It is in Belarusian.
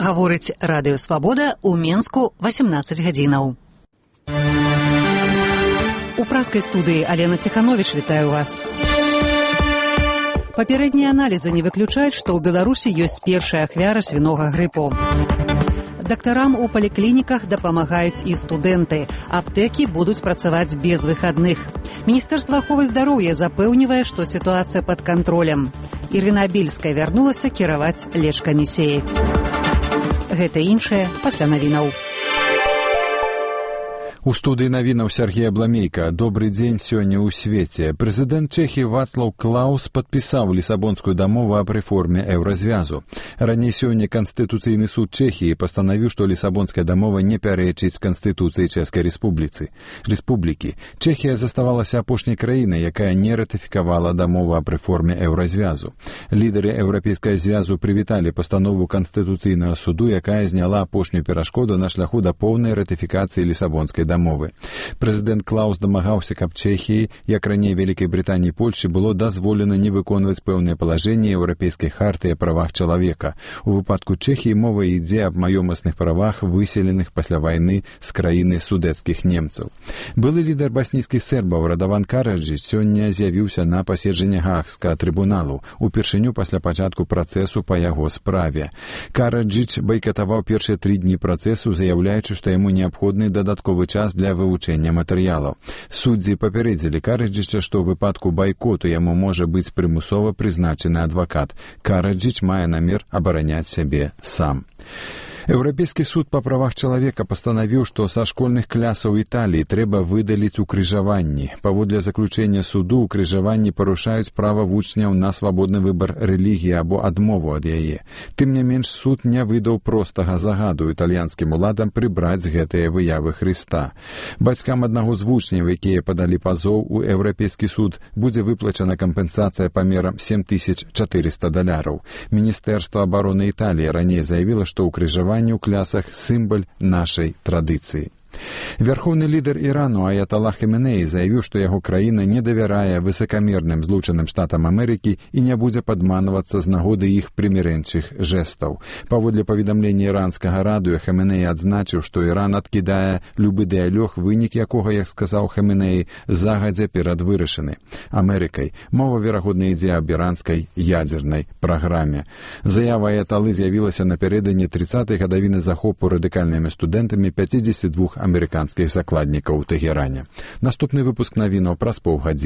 Гаворыць Радыё Свабода ў Менску 18 гадзінаў. У праскай студыі Алена Ціхановіч вітаю вас. Папярэднія аналізы не выключаюць, што ў Беларусі ёсць першая ахвяра свінога грыпу. Дактарам у паліклініках дапамагаюць і студэнты. Аптэкі будуць працаваць без выхадных. Міністэрства аховы здароўя запэўнівае, што сітуацыя пад кантролем. Ірына Бельская вярнулася кіраваць лечкамісіяй. Гэта іншае пасля навінаў. У студыі навінаў Сергей Абламейка. Добрый дзень сёння ў свеце. Прэзідэнт Чэхіі Вацлаў Клаус падпісаў Лісабонскую дамову аб рэформе еўразвязу. Раней сёння Канстытуцыйны суд Чэхіі пастанавіў, што Лісабонская дамова не пярэчыць Канстытуцыі Чэшскай Рэспублікі. Чэхія заставалася апошняй краінай, якая не ратыфікавала дамову аб рэформе еўразвязу. Лідары Еўрапейскага звязу прывіталі пастанову Канстытуцыйнага суду, якая зняла апошнюю перашкоду на шляху да поўнай ратыфікацыі Лісабонскай дамовы. Прэзідэнт Клаус дамагаўся, каб Чэхіі, як раней Вялікай Брытаніі і Польшчы, было дазволена не выконваць пэўныя палажэнні Еўрапейскай хартыі о правах чалавека. У выпадку Чэхіі мова ідзе аб маёмасных правах, выселеных пасля вайны з краіны судэцкіх немцаў. Былы лідар баснійскіх сербаў Радаван Караджыч сёння з'явіўся на паседжанні Гаагскага трыбуналу, упершыню пасля пачатку працэсу па яго справе. Караджыч байкатаваў першыя 3 дні працэсу, заяўляючы, што яму неабходны дадатковы час для вывучэння матэрыялаў. Суддзі папярэдзілі Караджыча, што ў выпадку байкоту яму можа быць прымусова прызначаны адвакат. Караджыч мае намер абараняць сябе сам. Еўрапейскі суд па правах чалавека пастанавіў, што са школьных клясаў Італіі трэба выдаліць укрыжаванні. Паводле заключэння суду, укрыжаванні парушаюць права вучняў на свабодны выбар рэлігіі або адмову ад яе. Тым не менш, суд не выдаў простага загаду італьянскім уладам прыбраць гэтыя выявы Хрыста. Бацькам аднаго з вучняў, якія падалі пазоў у Еўрапейскі суд, будзе выплачана кампенсацыя памерам $7400. Міністэрства абароны Італіі раней заявіла, што укрыжаванні ў клясах сімвал нашай традыцыі. Вярхоўны лідар Ірану Аяталла Хаменеі заявіў, што яго краіна не давярае высакамерным Злучаным Штатам Амерыкі і не будзе падманвацца з нагоды іх прымірэнчых жэстаў. Паводле паведамлення іранскага радыё, Хаменеі адзначыў, што Іран адкідае любы дыялог, вынік якога, як сказаў Хаменеі, загадзя перадвырашаны Амерыкай. Мова, верагодна, ідзе аб іранскай ядзернай праграме. Заява Аяталлы з'явілася напярэдадні 30-й гадавіны захопу радыкальнымі студэнтамі 52 амерыканскіх закладнікаў у Тэгеране. Наступны выпуск навінаў праз паўгадзіны.